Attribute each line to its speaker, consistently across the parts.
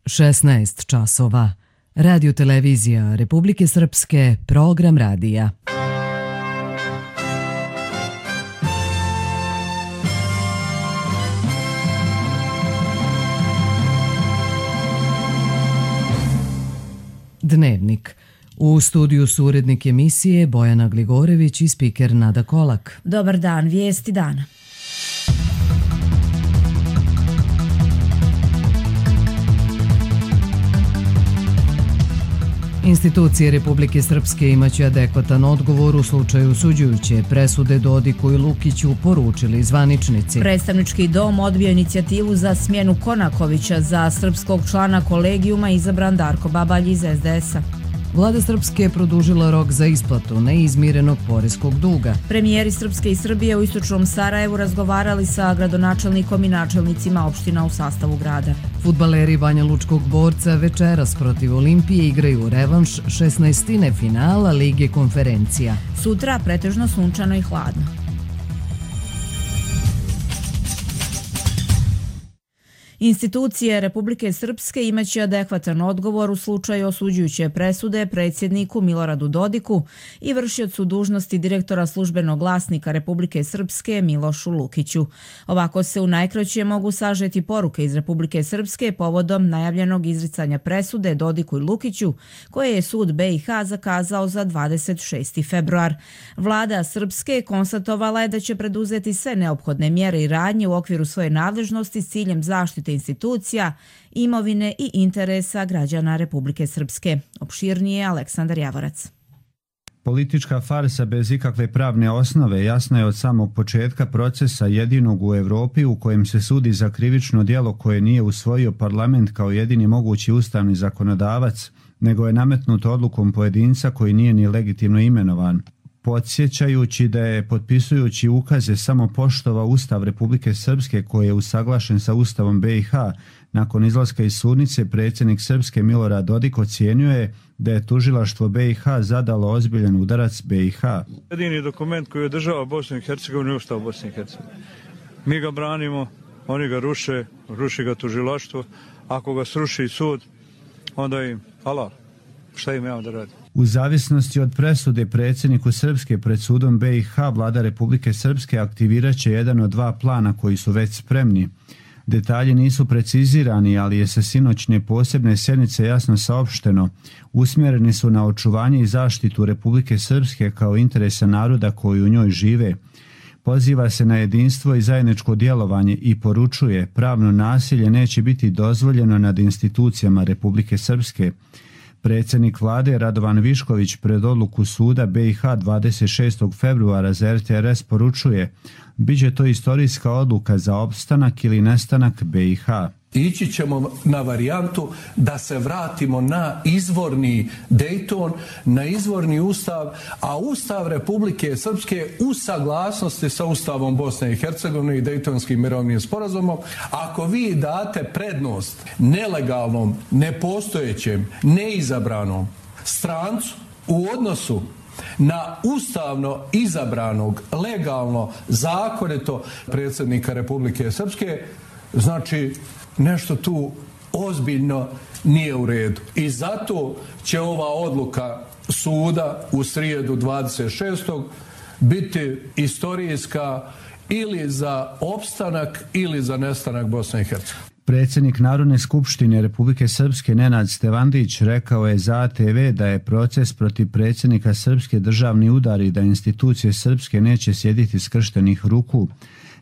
Speaker 1: 16 časova. Radio televizija Republike Srpske, program radija. Dnevnik. U studiju su urednik emisije Bojana Gligorević i spiker Nada Kolak.
Speaker 2: Dobar dan, vijesti dana.
Speaker 1: Institucije Republike Srpske imaće adekvatan odgovor u slučaju osuđujuće presude Dodiku i Lukiću, poručili zvaničnici.
Speaker 2: Predstavnički dom odbio inicijativu za smjenu Konakovića, za srpskog člana kolegijuma izabran Darko Babalj iz SDS-a.
Speaker 1: Vlada Srpske je produžila rok za isplatu neizmirenog poreskog duga.
Speaker 2: Premijeri Srpske i Srbije u istočnom Sarajevu razgovarali sa gradonačelnikom i načelnicima opština u sastavu grada.
Speaker 1: Fudbaleri Banja Lučkog Borca večeras protiv Olimpije igraju revanš 16. finala Lige konferencija.
Speaker 2: Sutra pretežno sunčano i hladno. Institucije Republike Srpske imaće adekvatan odgovor u slučaju osuđujuće presude predsjedniku Miloradu Dodiku i vršiocu dužnosti direktora službenog glasnika Republike Srpske Milošu Lukiću. Ovako se u najkraće mogu sažeti poruke iz Republike Srpske povodom najavljenog izricanja presude Dodiku i Lukiću, koje je sud BiH zakazao za 26. februar. Vlada Srpske konstatovala je da će preduzeti sve neophodne mjere i radnje u okviru svoje nadležnosti s ciljem zaštite institucija, imovine i interesa građana Republike Srpske. Opširnije Aleksandar Javorac.
Speaker 3: Politička farsa bez ikakve pravne osnove jasna je od samog početka procesa jedinog u Europi u kojem se sudi za krivično djelo koje nije usvojio parlament kao jedini mogući ustavni zakonodavac, nego je nametnuto odlukom pojedinca koji nije ni legitimno imenovan. Podsjećajući da je potpisujući ukaze samo poštovao Ustav Republike Srpske koji je usaglašen sa Ustavom BiH, nakon izlaska iz sudnice predsjednik Srpske Milorad Dodik ocijenio je da je tužilaštvo BiH zadalo ozbiljan udarac BiH.
Speaker 4: Jedini dokument koji održava Bosnu i Hercegovinu je Ustav Bosne i Hercegovine. Mi ga branimo, oni ga ruši ga tužilaštvo. Ako ga sruši sud, onda im halal. Šta im imamo da radi?
Speaker 3: U zavisnosti od presude predsjedniku Srpske pred sudom BiH, vlada Republike Srpske aktivirat će jedan od dva plana koji su već spremni. Detalji nisu precizirani, ali je sa sinoćne posebne sjednice jasno saopšteno. Usmjereni su na očuvanje i zaštitu Republike Srpske kao interesa naroda koji u njoj žive. Poziva se na jedinstvo i zajedničko djelovanje i poručuje pravno nasilje neće biti dozvoljeno nad institucijama Republike Srpske. Predsjednik vlade Radovan Višković pred odluku suda BiH 26. februara za RTRS poručuje: biće to istorijska odluka za opstanak ili nestanak BiH.
Speaker 5: Ići ćemo na varijantu da se vratimo na izvorni Dejton, na izvorni ustav, a Ustav Republike Srpske u saglasnosti sa Ustavom Bosne i Hercegovine i Dejtonskim mirovnim sporazumom. Ako vi date prednost nelegalnom, nepostojećem, neizabranom strancu u odnosu na ustavno izabranog, legalno, zakonito predsjednika Republike Srpske, znači nešto tu ozbiljno nije u redu. I zato će ova odluka suda u srijedu 26. biti istorijska ili za opstanak ili za nestanak Bosne i Hercegovine.
Speaker 3: Predsjednik Narodne skupštine Republike Srpske Nenad Stevandić rekao je za ATV da je proces protiv predsjednika Srpske državni udar i da institucije Srpske neće sjediti skrštenih ruku.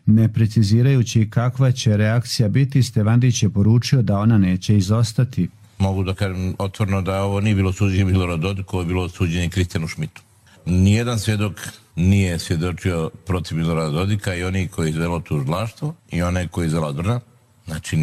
Speaker 3: Ne precizirajući kakva će reakcija biti, Stevandić je poručio da ona neće izostati.
Speaker 6: Mogu da kažem otvoreno da ovo nije bilo suđenje Miloradu Dodiku, ovo je bilo suđenje Kristijanu Šmitu. Nijedan svjedok nije svjedočio protiv Milorada Dodika, i oni koji izvelo tužilaštvo i one koji izvela odbrana. Znači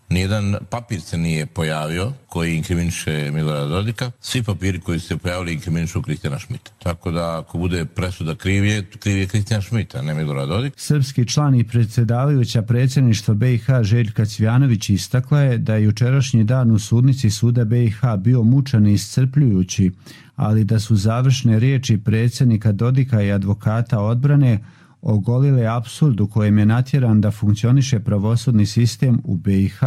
Speaker 6: nijedan papir se nije pojavio koji inkriminiše Milorada Dodika. Svi papiri koji su se pojavili inkriminišu Kristijana Šmita. Tako da ako bude presuda kriv je Kristijan Šmita, a ne Milorad Dodik.
Speaker 3: Srpski član i predsjedavajuća predsjedništva BiH Željka Cvjanović istakla je da je jučerašnji dan u sudnici suda BiH bio mučan i iscrpljujući, ali da su završne riječi predsjednika Dodika i advokata odbrane ogolile apsurd u kojem je natjeran da funkcioniše pravosudni sistem u BiH.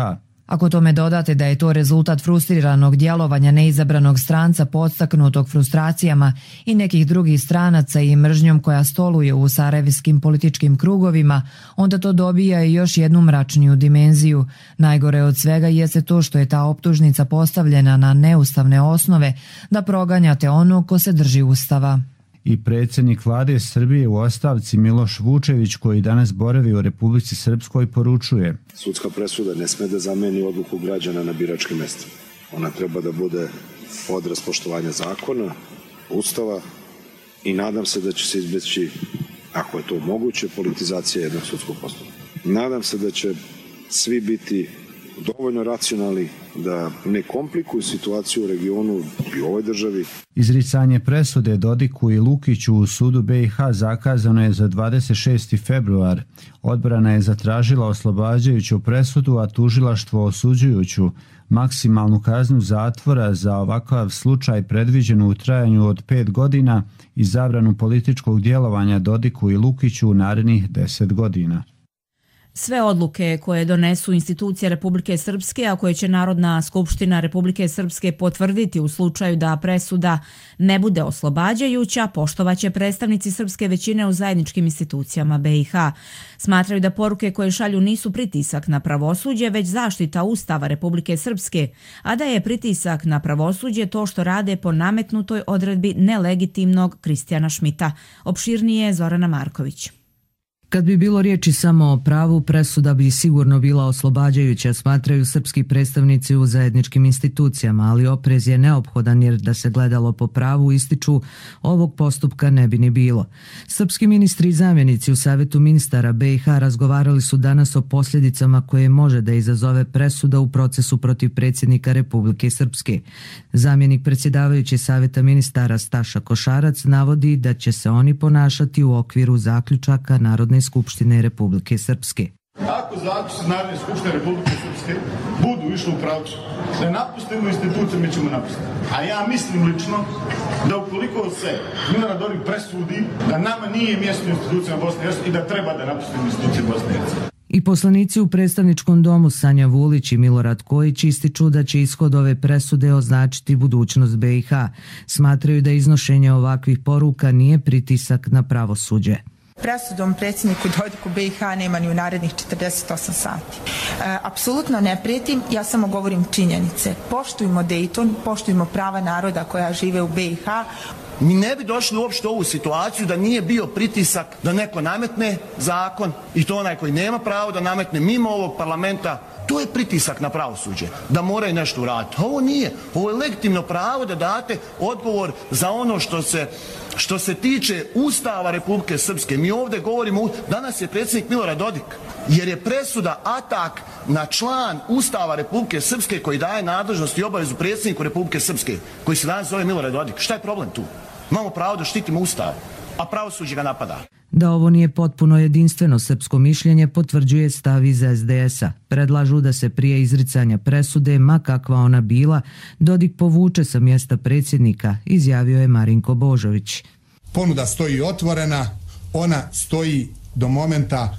Speaker 2: Ako tome dodate da je to rezultat frustriranog djelovanja neizabranog stranca podstaknutog frustracijama i nekih drugih stranaca i mržnjom koja stoluje u sarajevskim političkim krugovima, onda to dobija i još jednu mračniju dimenziju. Najgore od svega jeste to što je ta optužnica postavljena na neustavne osnove da proganjate onog ko se drži Ustava.
Speaker 3: I predsjednik vlade Srbije u ostavci Miloš Vučević, koji danas boravi u Republici Srpskoj, poručuje:
Speaker 7: Sudska presuda ne sme da zameni odluku građana na biračkim mestima. Ona treba da bude odraz poštovanja zakona, Ustava i nadam se da će se izbjeći, ako je to moguće, politizacija jednog sudskog postupka. Nadam se da će svi biti dovoljno racionalni da ne komplikuju situaciju u regionu i u ovoj državi.
Speaker 3: Izricanje presude Dodiku i Lukiću u sudu BiH zakazano je za 26. februar. Odbrana je zatražila oslobađajuću presudu, a tužilaštvo osuđujuću. Maksimalnu kaznu zatvora za ovakav slučaj predviđenu u trajanju od 5 godina i zabranu političkog djelovanja Dodiku i Lukiću u narednih 10 godina.
Speaker 2: Sve odluke koje donesu institucije Republike Srpske, a koje će Narodna skupština Republike Srpske potvrditi u slučaju da presuda ne bude oslobađajuća, poštovaće predstavnici srpske većine u zajedničkim institucijama BiH. Smatraju da poruke koje šalju nisu pritisak na pravosuđe, već zaštita Ustava Republike Srpske, a da je pritisak na pravosuđe to što rade po nametnutoj odredbi nelegitimnog Kristijana Šmita. Opširnije Zorana Marković.
Speaker 1: Kad bi bilo riječi samo o pravu, presuda bi sigurno bila oslobađajuća, smatraju srpski predstavnici u zajedničkim institucijama, ali oprez je neophodan jer da se gledalo po pravu, ističu, ovog postupka ne bi ni bilo. Srpski ministri i zamjenici u Savjetu ministara BiH razgovarali su danas o posljedicama koje može da izazove presuda u procesu protiv predsjednika Republike Srpske. Zamjenik predsjedavajući Savjeta ministara Staša Košarac navodi da će se oni ponašati u okviru zaključaka Narodne skupštine Republike Srpske.
Speaker 8: Ako zaključci Narodne skupštine Republike Srpske budu išli u pravcu da napustimo institucije, mi ćemo napustiti. A ja mislim lično da ukoliko se Milorad Dodik presudi da nama nije mjesto u institucijama Bosne i Hercegovine i da treba da napustimo institucije Bosne i Hercegovine.
Speaker 1: I poslanici u predstavničkom domu Sanja Vulić i Milorad Kojić ističu da će ishod ove presude označiti budućnost BiH. Smatraju da iznošenje ovakvih poruka nije pritisak na pravosuđe.
Speaker 9: Presudom predsjedniku Dodiku BiH nema ni u narednih 48 sati. Apsolutno ne prijetim, ja samo govorim činjenice. Poštujmo Dayton, poštujmo prava naroda koja žive u BiH.
Speaker 10: Mi ne bi došli uopšte u ovu situaciju da nije bio pritisak da neko nametne zakon i to onaj koji nema pravo da nametne mimo ovog parlamenta. To je pritisak na pravosuđe, da moraju nešto uraditi. Ovo nije. Ovo je legitimno pravo da date odgovor za ono što se tiče Ustava Republike Srpske. Mi ovdje govorimo, danas je predsjednik Milorad Dodik, jer je presuda atak na član Ustava Republike Srpske koji daje nadležnost i obavezu predsjedniku Republike Srpske, koji se danas zove Milorad Dodik. Šta je problem tu? Imamo pravo da štitimo Ustav, a pravosuđe ga napada.
Speaker 1: Da ovo nije potpuno jedinstveno srpsko mišljenje potvrđuje stav iz SDS-a. Predlažu da se prije izricanja presude, ma kakva ona bila, Dodik povuče sa mjesta predsjednika, izjavio je Marinko Božović.
Speaker 11: Ponuda stoji otvorena, ona stoji do momenta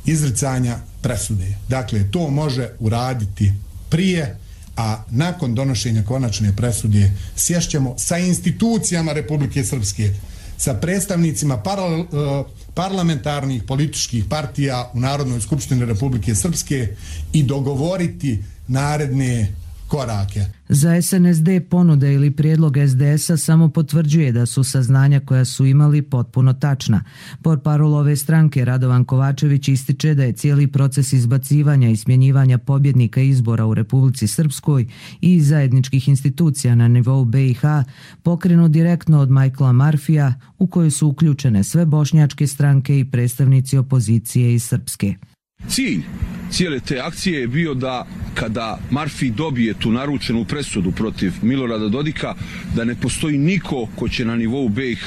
Speaker 11: izricanja presude. Dakle, to može uraditi prije, a nakon donošenja konačne presude sješćemo sa institucijama Republike Srpske, sa predstavnicima parlamentarnih političkih partija u Narodnoj skupštini Republike Srpske i dogovoriti naredne korake.
Speaker 1: Za SNSD ponuda ili prijedlog SDS-a samo potvrđuje da su saznanja koja su imali potpuno tačna. Portparol ove stranke Radovan Kovačević ističe da je cijeli proces izbacivanja i smjenjivanja pobjednika izbora u Republici Srpskoj i zajedničkih institucija na nivou BiH pokrenut direktno od Michaela Murphyja, u koju su uključene sve bošnjačke stranke i predstavnici opozicije iz Srpske.
Speaker 12: Cilj cijele te akcije je bio da kada Murphy dobije tu naručenu presudu protiv Milorada Dodika, da ne postoji niko ko će na nivou BiH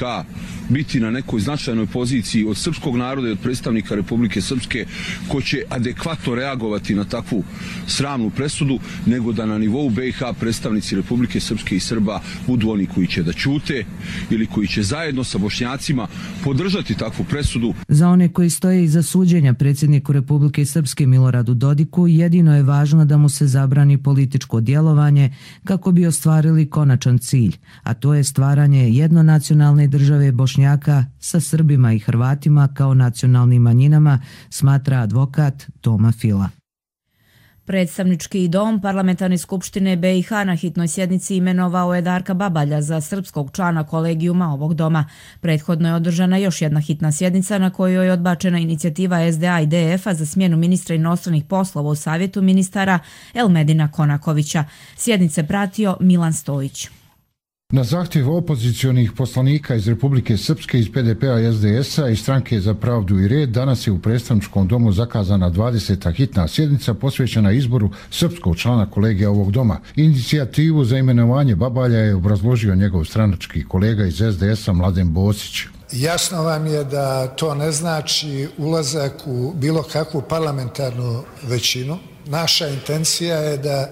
Speaker 12: biti na nekoj značajnoj poziciji od srpskog naroda i od predstavnika Republike Srpske ko će adekvatno reagovati na takvu sramnu presudu, nego da na nivou BiH predstavnici Republike Srpske i Srba budu oni koji će da ćute ili koji će zajedno sa Bošnjacima podržati takvu presudu.
Speaker 1: Za one koji stoje iza suđenja predsjedniku Republike Srpske Miloradu Dodiku jedino je važno da mu se zabrani političko djelovanje kako bi ostvarili konačan cilj, a to je stvaranje jednonacionalne države Bošnjaka sa Srbima i Hrvatima kao nacionalnim manjinama, smatra advokat Toma Fila.
Speaker 2: Predstavnički dom Parlamentarne skupštine BiH na hitnoj sjednici imenovao je Darka Babalja za srpskog člana kolegijuma ovog doma. Prethodno je održana još jedna hitna sjednica na kojoj je odbačena inicijativa SDA i DF-a za smjenu ministra inostranih poslova u savjetu ministara Elmedina Konakovića. Sjednice pratio Milan Stojić.
Speaker 13: Na zahtjev opozicionih poslanika iz Republike Srpske, iz PDP-a i SDS-a i Stranke za pravdu i red danas je u predstavničkom domu zakazana 20. hitna sjednica posvećena izboru srpskog člana kolegija ovog doma. Inicijativu za imenovanje Babalja je obrazložio njegov stranački kolega iz SDS-a Mladen Bosić.
Speaker 14: Jasno vam je da to ne znači ulazak u bilo kakvu parlamentarnu većinu. Naša intencija je da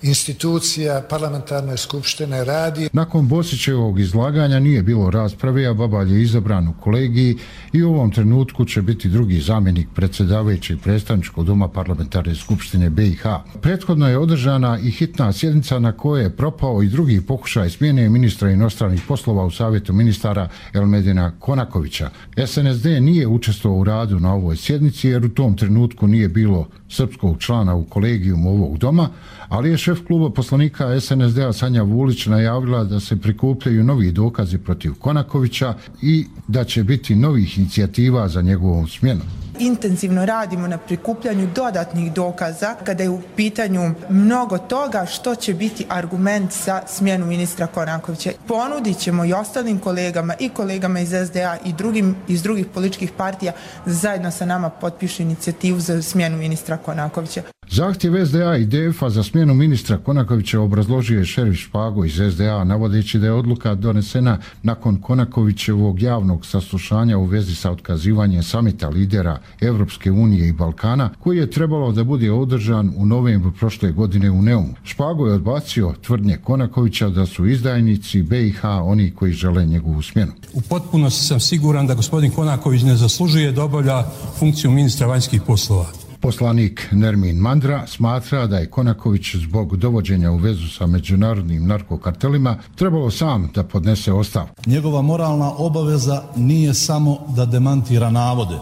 Speaker 14: institucija parlamentarne skupštine radi.
Speaker 13: Nakon Bosićevog izlaganja nije bilo rasprave, a Babalj je izabran u kolegiji i u ovom trenutku će biti drugi zamjenik predsjedavajućeg predstavničkog doma parlamentarne skupštine BiH. Prethodno je održana i hitna sjednica na kojoj je propao i drugi pokušaj smjene ministra inostranih poslova u savjetu ministara Elmedina Konakovića. SNSD nije učestvovao u radu na ovoj sjednici jer u tom trenutku nije bilo srpskog člana u kolegijumu ovog doma, ali je šef kluba poslanika SNSD-a Sanja Vulić najavila da se prikupljaju novi dokazi protiv Konakovića i da će biti novih inicijativa za njegovom smjenu.
Speaker 9: Intenzivno radimo na prikupljanju dodatnih dokaza kada je u pitanju mnogo toga što će biti argument za smjenu ministra Konakovića. Ponudit ćemo i ostalim kolegama i kolegama iz SDA i drugim iz drugih političkih partija zajedno sa nama potpišu inicijativu za smjenu ministra Konakovića.
Speaker 13: Zahtjev SDA i DF-a za smjenu ministra Konakovića obrazložio je šerif Špago iz SDA, navodeći da je odluka donesena nakon Konakovićevog javnog saslušanja u vezi sa otkazivanjem samita lidera Evropske unije i Balkana, koji je trebalo da bude održan u novembru prošle godine u Neumu. Špago je odbacio tvrdnje Konakovića da su izdajnici BiH oni koji žele njegovu smjenu.
Speaker 15: U potpunosti sam siguran da gospodin Konaković ne zaslužuje da obavlja funkciju ministra vanjskih poslova.
Speaker 13: Poslanik Nermin Mandra smatra da je Konaković zbog dovođenja u vezu sa međunarodnim narkokartelima trebalo sam da podnese ostavku.
Speaker 16: Njegova moralna obaveza nije samo da demantira navode,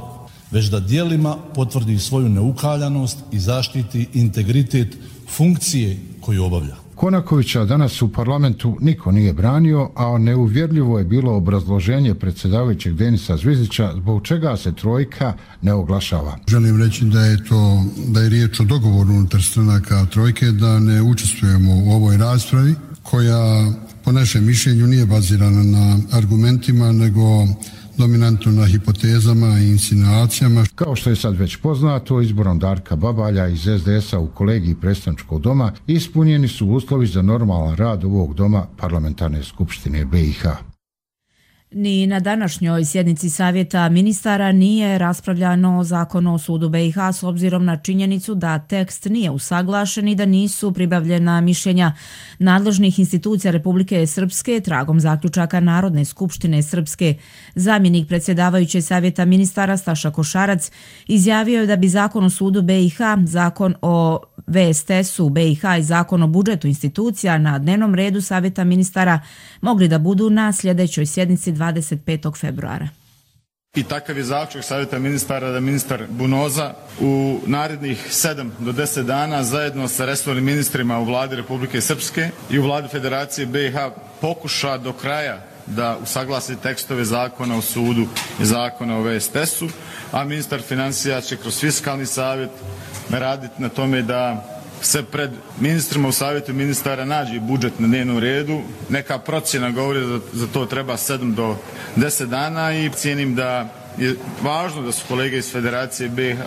Speaker 16: već da djelima potvrdi svoju neukaljanost i zaštiti integritet funkcije koju obavlja.
Speaker 13: Konakovića danas u parlamentu niko nije branio, a neuvjerljivo je bilo obrazloženje predsjedavajućeg Denisa Zvizdića zbog čega se trojka ne oglašava.
Speaker 17: Želim reći da je riječ o dogovoru unutar stranaka trojke, da ne učestvujemo u ovoj raspravi koja po našem mišljenju nije bazirana na argumentima nego dominantno na hipotezama i insinuacijama.
Speaker 13: Kao što je sad već poznato, izborom Darka Babalja iz SDS-a u kolegiji predstavničkog doma ispunjeni su uslovi za normalan rad ovog doma parlamentarne skupštine BiH.
Speaker 2: Ni na današnjoj sjednici savjeta ministara nije raspravljano o zakonu o sudu BiH s obzirom na činjenicu da tekst nije usaglašen i da nisu pribavljena mišljenja nadležnih institucija Republike Srpske tragom zaključaka Narodne skupštine Srpske. Zamjenik predsjedavajuće savjeta ministara Staša Košarac izjavio je da bi zakon o sudu BiH, zakon o VSTS-u BiH i zakon o budžetu institucija na dnevnom redu savjeta ministara mogli da budu na sljedećoj sjednici 25. februara.
Speaker 8: I takav je zaključak savjeta ministara da ministar Bunoza u narednih 7 do 10 dana zajedno sa resornim ministrima u vladi Republike Srpske i u vladi Federacije BiH pokuša do kraja da usaglasi tekstove zakona o sudu i zakona o VSTS-u, a ministar financija će kroz fiskalni savjet raditi na tome da se pred ministrima u savjetu ministara nađe budžet na dnevnom redu. Neka procjena govori da za to treba 7 do 10 dana i cijenim da je važno da su kolege iz Federacije BiH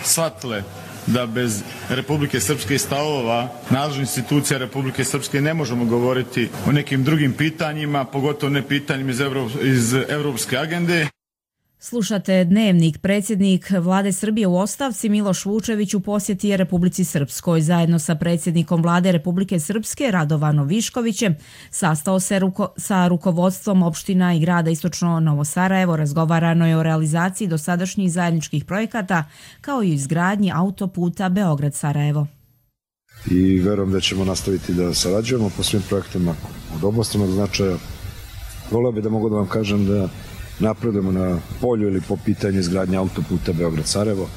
Speaker 8: shvatile da bez Republike Srpske i stavova nadležnih institucija Republike Srpske ne možemo govoriti o nekim drugim pitanjima, pogotovo ne pitanjima iz evropske agende.
Speaker 2: Slušate Dnevnik. Predsjednik Vlade Srbije u ostavci Miloš Vučević u posjeti je Republici Srpskoj. Zajedno sa predsjednikom Vlade Republike Srpske Radovanom Viškovićem sastao se sa rukovodstvom opština i grada Istočno Novo Sarajevo. Razgovarano je o realizaciji dosadašnjih zajedničkih projekata kao i izgradnji autoputa Beograd-Sarajevo.
Speaker 7: I verujem da ćemo nastaviti da sarađujemo po svim projektima od obostranog značaja. Voleo bih da mogu da vam kažem da napredujemo na polju ili po pitanju izgradnje autoputa Beograd-Sarajevo.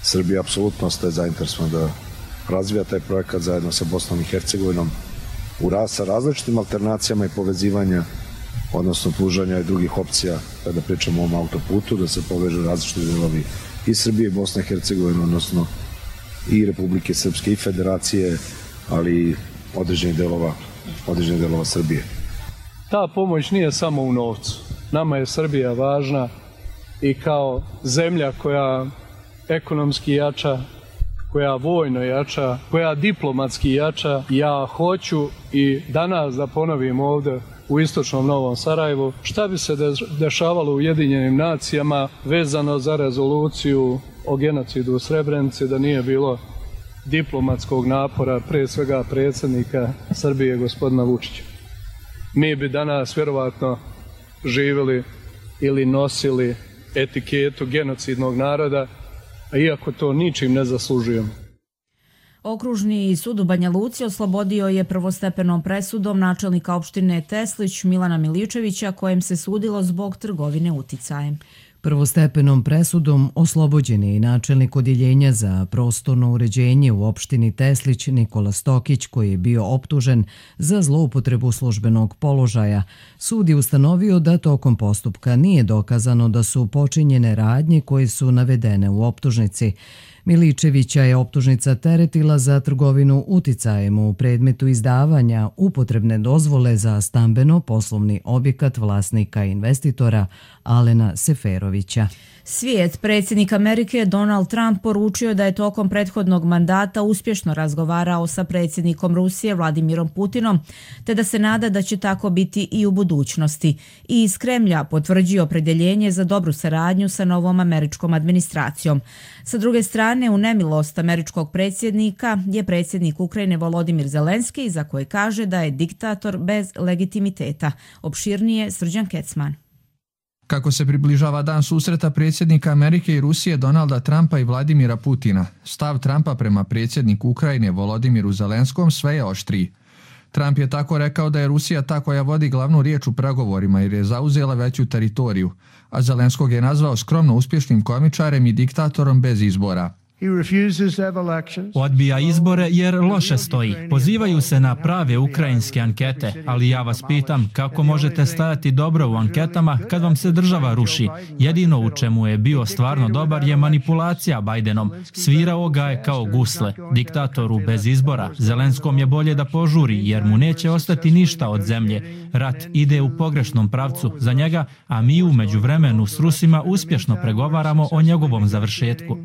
Speaker 7: Srbija apsolutno ostaje zainteresovana da razvija taj projekat zajedno sa Bosnom i Hercegovinom sa različitim alternacijama i povezivanja, odnosno pružanja i drugih opcija kada pričamo o ovom autoputu, da se povežu različiti delovi i Srbije i Bosne i Hercegovine, odnosno i Republike Srpske i Federacije, ali i određenih delova Srbije.
Speaker 5: Ta pomoć nije samo u novcu. Nama je Srbija važna i kao zemlja koja ekonomski jača, koja vojno jača, koja diplomatski jača. Ja hoću i danas da ponovim ovdje u Istočnom Novom Sarajevu šta bi se dešavalo u Ujedinjenim nacijama vezano za rezoluciju o genocidu u Srebrenici da nije bilo diplomatskog napora, pre svega predsjednika Srbije gospodina Vučića. Mi bi danas vjerovatno živjeli ili nosili etiketu genocidnog naroda, a iako to ničim ne zaslužujemo.
Speaker 2: Okružni sud u Banja Luci oslobodio je prvostepenom presudom načelnika opštine Teslić Milana Miličevića kojem se sudilo zbog trgovine uticajem.
Speaker 1: Prvostepenom presudom oslobođen je i načelnik odjeljenja za prostorno uređenje u opštini Teslić Nikola Stokić koji je bio optužen za zloupotrebu službenog položaja. Sud je ustanovio da tokom postupka nije dokazano da su počinjene radnje koje su navedene u optužnici. Miličevića je optužnica teretila za trgovinu uticajem u predmetu izdavanja upotrebne dozvole za stambeno-poslovni objekat vlasnika i investitora Alena Seferovića.
Speaker 2: Svijet, predsjednik Amerike Donald Trump poručio da je tokom prethodnog mandata uspješno razgovarao sa predsjednikom Rusije Vladimirom Putinom, te da se nada da će tako biti i u budućnosti. I iz Kremlja potvrđio opredjeljenje za dobru saradnju sa novom američkom administracijom. Sa druge strane, u nemilost američkog predsjednika je predsjednik Ukrajine Volodimir Zelenski, za koje kaže da je diktator bez legitimiteta. Opširnije Srđan Kecman.
Speaker 18: Kako se približava dan susreta predsjednika Amerike i Rusije Donalda Trumpa i Vladimira Putina, stav Trumpa prema predsjedniku Ukrajine Volodimiru Zelenskom sve je oštriji. Trump je tako rekao da je Rusija ta koja vodi glavnu riječ u pregovorima jer je zauzela veću teritoriju, a Zelenskog je nazvao skromno uspješnim komičarem i diktatorom bez izbora.
Speaker 19: Odbija izbore jer loše stoji. Pozivaju se na prave ukrajinske ankete, ali ja vas pitam kako možete stajati dobro u anketama kad vam se država ruši. Jedino u čemu je bio stvarno dobar je manipulacija Bajdenom. Svirao ga je kao gusle. Diktatoru bez izbora. Zelenskom je bolje da požuri jer mu neće ostati ništa od zemlje. Rat ide u pogrešnom pravcu za njega, a mi u međuvremenu s Rusima uspješno pregovaramo o njegovom završetku.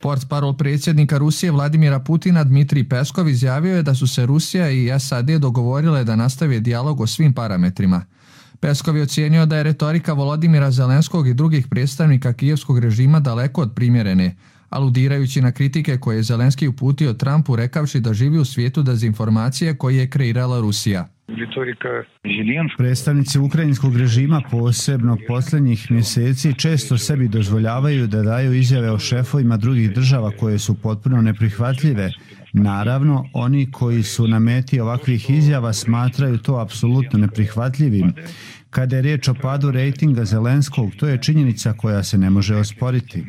Speaker 18: Portparol predsjednika Rusije Vladimira Putina Dmitrij Peskov izjavio je da su se Rusija i SAD dogovorile da nastave dijalog o svim parametrima. Peskov je ocijenio da je retorika Volodimira Zelenskog i drugih predstavnika kijevskog režima daleko od primjerene, aludirajući na kritike koje je Zelenski uputio Trumpu rekavši da živi u svijetu dezinformacije koje je kreirala Rusija.
Speaker 3: Predstavnici ukrajinskog režima, posebno posljednjih mjeseci, često sebi dozvoljavaju da daju izjave o šefovima drugih država koje su potpuno neprihvatljive. Naravno, oni koji su na meti ovakvih izjava smatraju to apsolutno neprihvatljivim. Kada je riječ o padu rejtinga Zelenskog, to je činjenica koja se ne može osporiti.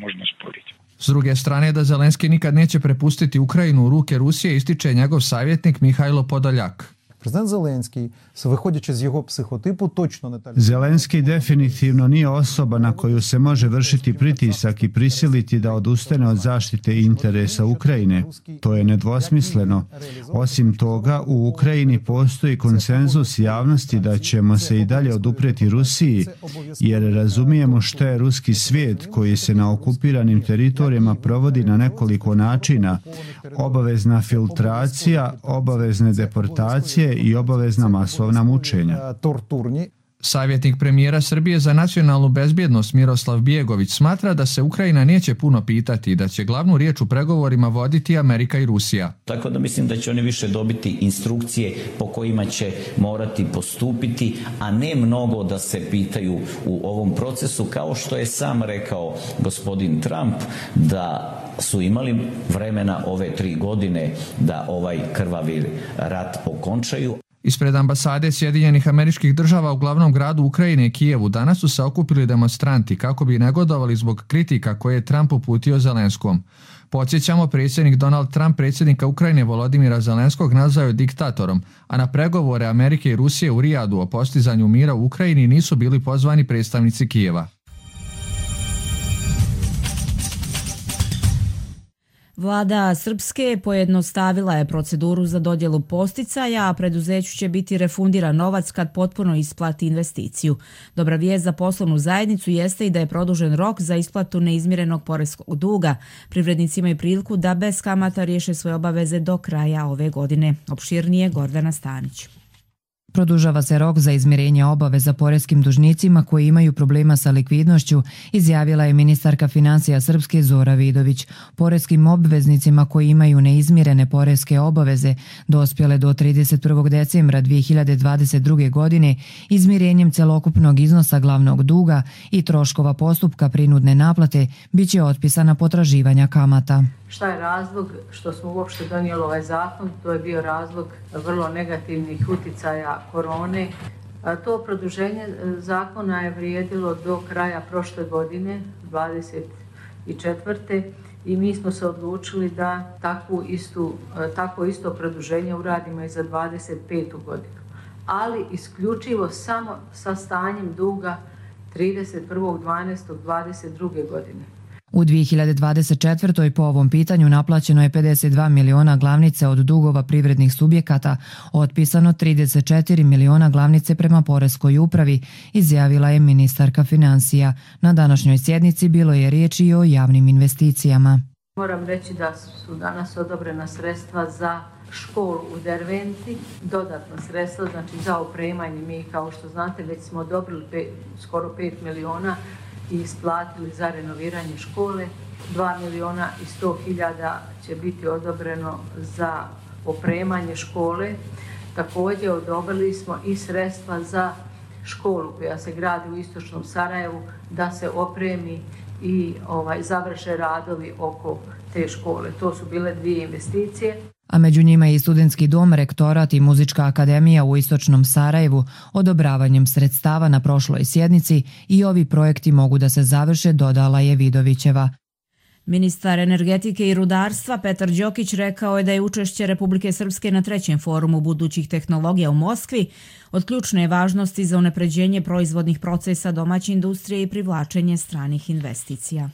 Speaker 18: S druge strane, da Zelenski nikad neće prepustiti Ukrajinu u ruke Rusije, ističe njegov savjetnik Mihajlo Podoljak.
Speaker 20: Президент Зеленський, виходячи з його психотипу, точно не так.
Speaker 3: Zelenski definitivno nije osoba na koju se može vršiti pritisak i prisiliti da odustane od zaštite interesa Ukrajine. To je nedvosmisleno. Osim toga, u Ukrajini postoji konsenzus javnosti da ćemo se i dalje oduprijeti Rusiji, jer razumijemo što je ruski svijet koji se na okupiranim teritorijama provodi na nekoliko načina. Obavezna filtracija, obavezne deportacije i obavezna masovna mučenja.
Speaker 18: Savjetnik premijera Srbije za nacionalnu bezbjednost Miroslav Bjegović smatra da se Ukrajina neće puno pitati i da će glavnu riječ u pregovorima voditi Amerika i Rusija.
Speaker 21: Tako da mislim da će oni više dobiti instrukcije po kojima će morati postupiti, a ne mnogo da se pitaju u ovom procesu, kao što je sam rekao gospodin Trump da su imali vremena ove 3 godine da ovaj krvavi rat okončaju.
Speaker 18: Ispred ambasade Sjedinjenih Američkih Država u glavnom gradu Ukrajine, Kijevu, danas su se okupili demonstranti kako bi negodovali zbog kritika koje je Trump uputio Zelenskom. Podsjećamo, predsjednik Donald Trump predsjednika Ukrajine Volodimira Zelenskog nazvao je diktatorom, a na pregovore Amerike i Rusije u Rijadu o postizanju mira u Ukrajini nisu bili pozvani predstavnici Kijeva.
Speaker 2: Vlada Srpske pojednostavila je proceduru za dodjelu posticaja, a preduzeću će biti refundiran novac kad potpuno isplati investiciju. Dobra vijest za poslovnu zajednicu jeste i da je produžen rok za isplatu neizmirenog poreskog duga. Privrednici imaju priliku da bez kamata riješe svoje obaveze do kraja ove godine. Opširnije Gordana Stanić.
Speaker 22: Produžava se rok za izmirenje obaveza poreskim dužnicima koji imaju problema sa likvidnošću, izjavila je ministarka financija Srpske Zora Vidović. Poreskim obveznicima koji imaju neizmirene poreske obaveze dospjele do 31. decembra 2022. godine izmirenjem celokupnog iznosa glavnog duga i troškova postupka prinudne naplate biće otpisana potraživanja kamata.
Speaker 23: Šta je razlog što smo uopšte donijeli ovaj zakon? To je bio razlog vrlo negativnih uticaja korone. To produženje zakona je vrijedilo do kraja prošle godine, 24. I mi smo se odlučili da takvo isto produženje uradimo i za 25. godinu. Ali isključivo samo sa stanjem duga 31.12.22. godine.
Speaker 22: U 2024. po ovom pitanju naplaćeno je 52 miliona glavnice od dugova privrednih subjekata, otpisano 34 miliona glavnice prema poreskoj upravi, izjavila je ministarka financija. Na današnjoj sjednici bilo je riječi i o javnim investicijama.
Speaker 23: Moram reći da su danas odobrena sredstva za školu u Derventi, dodatna sredstva, znači za opremanje. Mi, kao što znate, već smo odobrili skoro 5 miliona i isplatili za renoviranje škole. 2 miliona i 100 hiljada će biti odobreno za opremanje škole. Također odobrili smo i sredstva za školu koja se gradi u istočnom Sarajevu da se opremi i završe radovi oko te škole. To su bile 2 investicije.
Speaker 22: A među njima je i studentski dom, rektorat i muzička akademija u istočnom Sarajevu. Odobravanjem sredstava na prošloj sjednici i ovi projekti mogu da se završe, dodala je Vidovićeva.
Speaker 2: Ministar energetike i rudarstva Petar Đokić rekao je da je učešće Republike Srpske na 3. forumu budućih tehnologija u Moskvi od ključne važnosti za unapređenje proizvodnih procesa domaće industrije i privlačenje stranih investicija.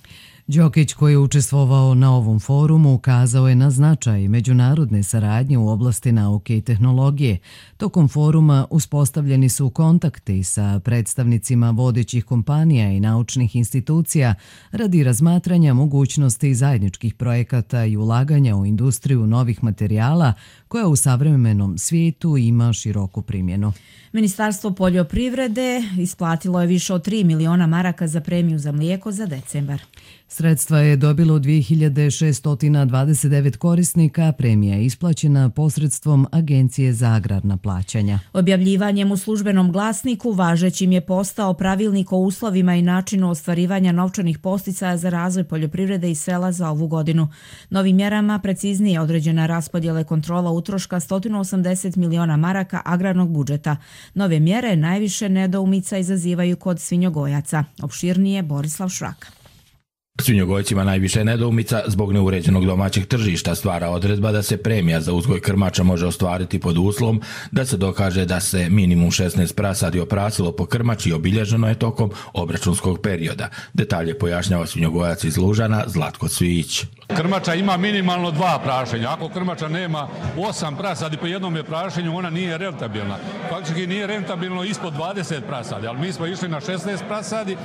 Speaker 1: Đokić, koji je učestvovao na ovom forumu, ukazao je na značaj međunarodne saradnje u oblasti nauke i tehnologije. Tokom foruma uspostavljeni su kontakti sa predstavnicima vodećih kompanija i naučnih institucija radi razmatranja mogućnosti zajedničkih projekata i ulaganja u industriju novih materijala koja u savremenom svijetu ima široku primjenu.
Speaker 2: Ministarstvo poljoprivrede isplatilo je više od 3 miliona maraka za premiju za mlijeko za decembar.
Speaker 1: Sredstva je dobilo 2629 korisnika, premija je isplaćena posredstvom Agencije za agrarna plaćanja.
Speaker 2: Objavljivanjem u službenom glasniku važećim je postao pravilnik o uslovima i načinu ostvarivanja novčanih posticaja za razvoj poljoprivrede i sela za ovu godinu. Novim mjerama preciznije određena raspodjela kontrola utroška 180 miliona maraka agrarnog budžeta. Nove mjere najviše nedoumica izazivaju kod svinjogojaca. Opširnije Borislav Šraka.
Speaker 4: Svinjogojcima najviše nedoumica zbog neuređenog domaćeg tržišta stvara odredba da se premija za uzgoj krmača može ostvariti pod uslovom da se dokaže da se minimum 16 prasadi oprasilo po krmači i obilježeno je tokom obračunskog perioda. Detalje pojašnjava svinjogojac iz Lužana Zlatko Cvijić.
Speaker 6: Krmača ima minimalno 2 prašenja. Ako krmača nema 8 prasadi po jednom je prašenju, ona nije rentabilna. Faktički nije rentabilno ispod 20 prasadi, ali mi smo išli na 16 prasadi.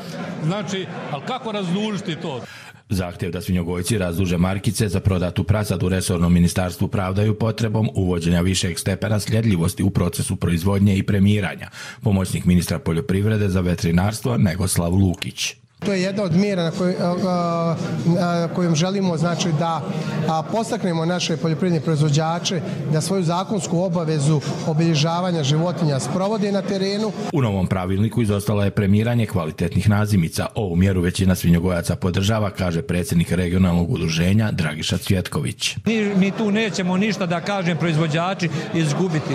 Speaker 6: Znači, ali kako razdužiti to?
Speaker 4: Zahtjev da svinjogojci razduže markice za prodatu prasadu resornom ministarstvu pravdaju potrebom uvođenja višeg stepena sljedljivosti u procesu proizvodnje i premiranja. Pomoćnik ministra poljoprivrede za veterinarstvo Negoslav Lukić.
Speaker 10: To je jedna od mjera kojom želimo znači, da podstaknemo naše poljoprivredne proizvođače da svoju zakonsku obavezu obilježavanja životinja sprovode na terenu.
Speaker 4: U novom pravilniku izostalo je premiranje kvalitetnih nazimica. Ovu mjeru većina svinjogojaca podržava, kaže predsjednik regionalnog udruženja Dragiša Cvjetković.
Speaker 24: Mi tu nećemo ništa, da kažem, proizvođači izgubiti.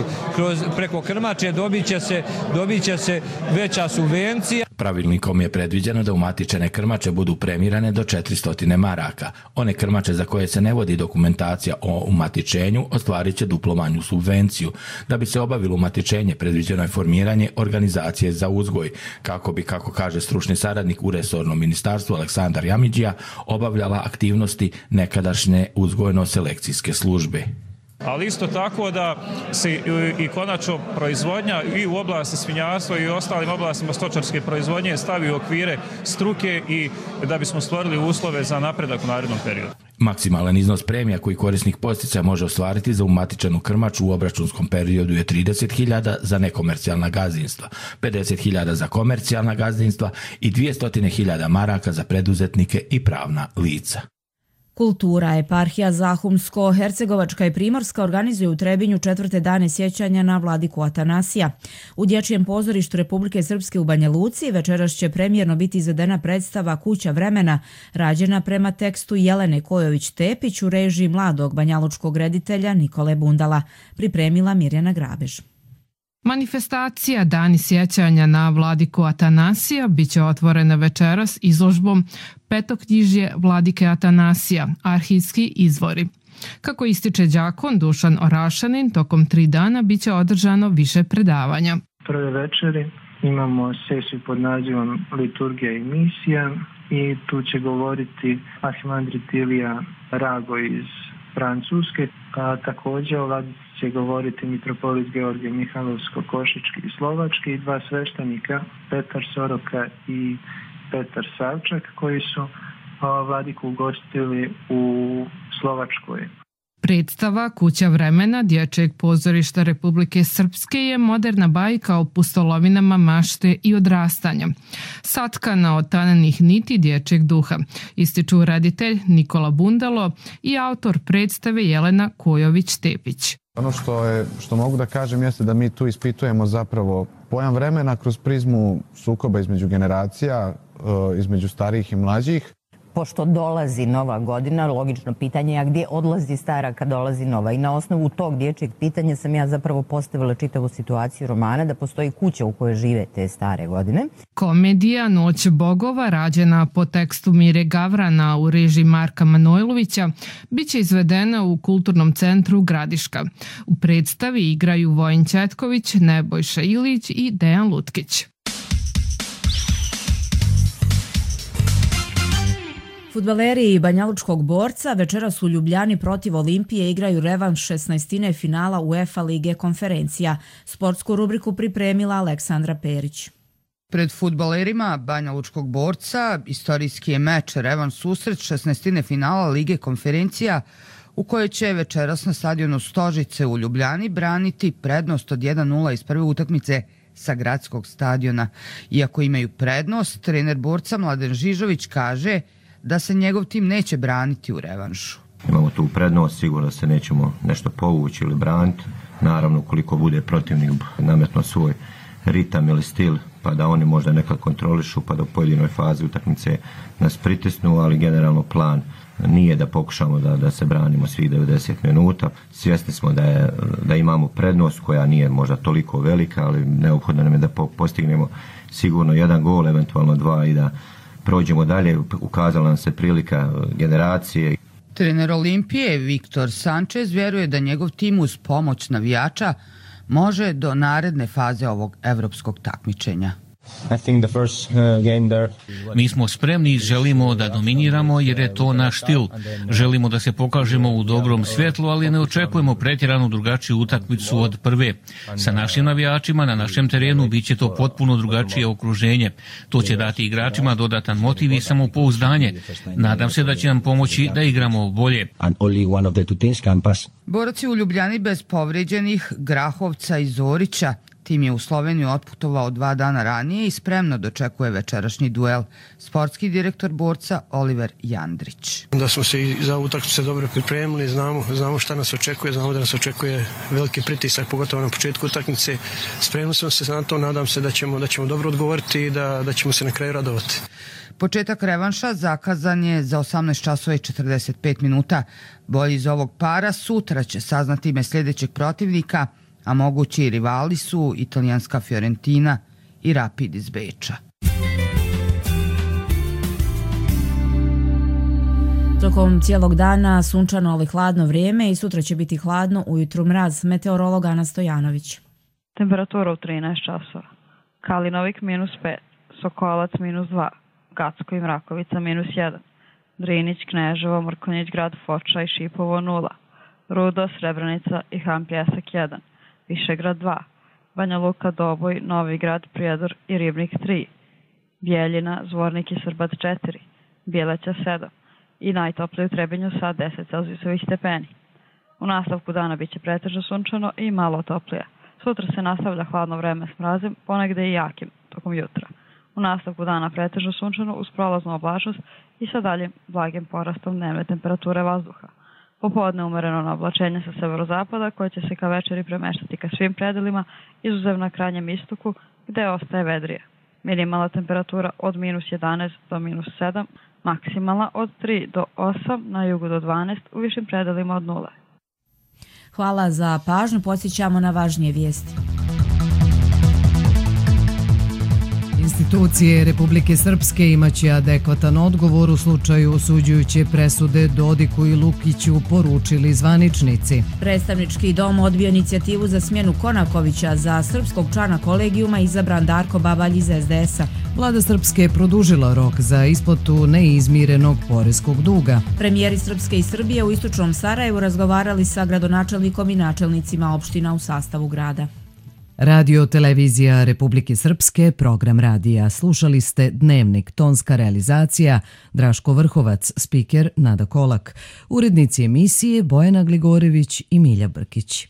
Speaker 24: Preko krmače dobit će se veća subvencija.
Speaker 4: Pravilnikom je predviđeno da umatičene krmače budu premirane do 400 maraka. One krmače za koje se ne vodi dokumentacija o umatičenju ostvarit će duplo manju subvenciju. Da bi se obavilo umatičenje, predviđeno je formiranje organizacije za uzgoj, kako bi, kako kaže stručni saradnik u resornom ministarstvu Aleksandar Jamidžija, obavljala aktivnosti nekadašnje uzgojno-selekcijske službe.
Speaker 25: Ali isto tako da se i konačno proizvodnja i u oblasti svinjarstva i u ostalim oblastima stočarske proizvodnje stavi u okvire struke i da bismo stvorili uslove za napredak u narednom periodu.
Speaker 4: Maksimalan iznos premija koji korisnik podsticaja može ostvariti za umatičenu krmaču u obračunskom periodu je 30.000 za nekomercijalna gazdinstva, 50.000 za komercijalna gazdinstva i 200.000 maraka za preduzetnike i pravna lica.
Speaker 2: Kultura, eparhija Zahumsko-Hercegovačka i Primorska organizuje u Trebinju 4. dane sjećanja na vladiku Atanasija. U Dječjem pozorištu Republike Srpske u Banja Luci večeras će premijerno biti izvedena predstava Kuća vremena, rađena prema tekstu Jelene Kojović-Tepić u režiji mladog banjalučkog reditelja Nikole Bundala, pripremila Mirjana Grabež.
Speaker 26: Manifestacija Dani sjećanja na vladiku Atanasija biće otvorena večeras izložbom Petoknjižje vladike Atanasija, arhivski izvori. Kako ističe đakon Dušan Orašanin, tokom 3 dana biće održano više predavanja.
Speaker 27: Prve večeri imamo sesiju pod nazivom Liturgija i misija i tu će govoriti arhimandrit Ilija Rago iz Francuske, a također o vladici će govoriti mitropolit Georgije Mihajlovsko-Košički i Slovački i 2 sveštenika, Petar Soroka i Petar Savčak, koji su vladiku ugostili u Slovačkoj.
Speaker 26: Predstava Kuća vremena Dječjeg pozorišta Republike Srpske je moderna bajka o pustolovinama mašte i odrastanja. Satkana od tanenih niti dječjeg duha, ističu reditelj Nikola Bundalo i autor predstave Jelena Kojović-Tepić.
Speaker 28: Ono što mogu da kažem jeste da mi tu ispitujemo zapravo pojam vremena kroz prizmu sukoba između generacija, između starijih i mlađih.
Speaker 29: Pošto dolazi nova godina, logično pitanje je a gdje odlazi stara kad dolazi nova. I na osnovu tog dječjeg pitanja sam ja zapravo postavila čitavu situaciju romana da postoji kuća u kojoj žive te stare godine.
Speaker 26: Komedija Noć bogova, rađena po tekstu Mire Gavrana u režiji Marka Manojlovića, bit će izvedena u Kulturnom centru Gradiška. U predstavi igraju Vojin Četković, Nebojša Ilić i Dejan Lutkić.
Speaker 2: Fudbaleri Banjalučkog Borca večeras u Ljubljani protiv Olimpije igraju revanš 16. finala UEFA Lige konferencija. Sportsku rubriku pripremila Aleksandra Perić.
Speaker 30: Pred fudbalerima Banjalučkog Borca istorijski je meč revanš susret 16. finala Lige konferencija u kojoj će večeras na stadionu Stožice u Ljubljani braniti prednost od 1-0 iz prve utakmice sa gradskog stadiona. Iako imaju prednost, trener Borca Mladen Žižović kaže da se njegov tim neće braniti u revanšu.
Speaker 31: Imamo tu prednost, sigurno da se nećemo nešto povući ili braniti. Naravno, ukoliko bude protivnik nametno svoj ritam ili stil, pa da oni možda nekad kontrolišu, pa da u pojedinoj fazi utakmice nas pritisnu, ali generalno plan nije da pokušamo da se branimo svih 90 minuta. Svjesni smo da imamo prednost koja nije možda toliko velika, ali neophodno nam je da postignemo sigurno 1 gol, eventualno 2 i da prođemo dalje, ukazala nam se prilika generacije.
Speaker 30: Trener Olimpije Viktor Sanchez vjeruje da njegov tim uz pomoć navijača može do naredne faze ovog evropskog takmičenja.
Speaker 5: Mi smo spremni i želimo da dominiramo jer je to naš stil. Želimo da se pokažemo u dobrom svjetlu, ali ne očekujemo pretjeranu drugačiju utakmicu od prve. Sa našim navijačima na našem terenu bit će to potpuno drugačije okruženje. To će dati igračima dodatan motiv i samopouzdanje. Nadam se da će nam pomoći da igramo bolje.
Speaker 30: Borac je u Ljubljani bez povrijeđenih Grahovca i Zorića. Tim je u Sloveniju otputovao 2 dana ranije i spremno dočekuje večerašnji duel. Sportski direktor Borca Oliver Jandrić.
Speaker 7: Da smo se i za utakmicu dobro pripremili, znamo šta nas očekuje, znamo da nas očekuje veliki pritisak, pogotovo na početku utakmice. Spremili smo se na to, nadam se da ćemo dobro odgovoriti i da ćemo se na kraju radovati.
Speaker 30: Početak revanša zakazan je za 18 časova i 45 minuta. Bolji iz ovog para sutra će saznati ime sljedećeg protivnika, a mogući rivali su italijanska Fiorentina i Rapid iz Beča.
Speaker 2: Tokom cijelog dana sunčano ali hladno vrijeme i sutra će biti hladno, ujutru mraz. Meteorolog Ana Stojanović.
Speaker 8: Temperatura u 13 časova. Kalinovik -5, Sokolac -2, Gacko i Mrakovica -1, Drinić, Kneževo, Mrkonjić Grad, Foča i Šipovo 0, Rudo, Srebrenica i Han Pjesak 1, Višegrad 2, Banja Luka, Doboj, Novi Grad, Prijedor i Ribnik 3, Bijeljina, Zvornik i Srbac 4, Bjeleća 7 i najtoplije u Trebinju sa 10 celzijusovih stepeni. U nastavku dana biće pretežno sunčano i malo toplije. Sutra se nastavlja hladno vreme s mrazem, ponegde i jakim tokom jutra. U nastavku dana pretežno sunčano uz prolaznu oblačnost i sa daljim blagim porastom dnevne temperature vazduha. Popodne umereno na oblačenje sa severozapada koje će se ka večeri premeštati ka svim predelima, izuzev na krajnjem istoku gde ostaje vedrije. Minimalna temperatura od -11 do -7, maksimalna od 3 do 8, na jugu do 12, u višim predelima od 0.
Speaker 2: Hvala za pažnju, podsjećamo na važnije vijesti.
Speaker 1: Institucije Republike Srpske imaće adekvatan odgovor u slučaju osuđujuće presude Dodiku i Lukiću, poručili zvaničnici.
Speaker 2: Predstavnički dom odbio inicijativu za smjenu Konakovića, za srpskog člana kolegijuma izabran Darko Babalj iz SDS-a.
Speaker 1: Vlada Srpske je produžila rok za isplatu neizmirenog poreskog duga.
Speaker 2: Premijeri Srpske i Srbije u istočnom Sarajevu razgovarali sa gradonačelnikom i načelnicima opština u sastavu grada.
Speaker 1: Radio Televizija Republike Srpske, program radija. Slušali ste Dnevnik, tonska realizacija, Draško Vrhovac, spiker Nada Kolak, urednici emisije Bojana Gligorević i Milja Brkić.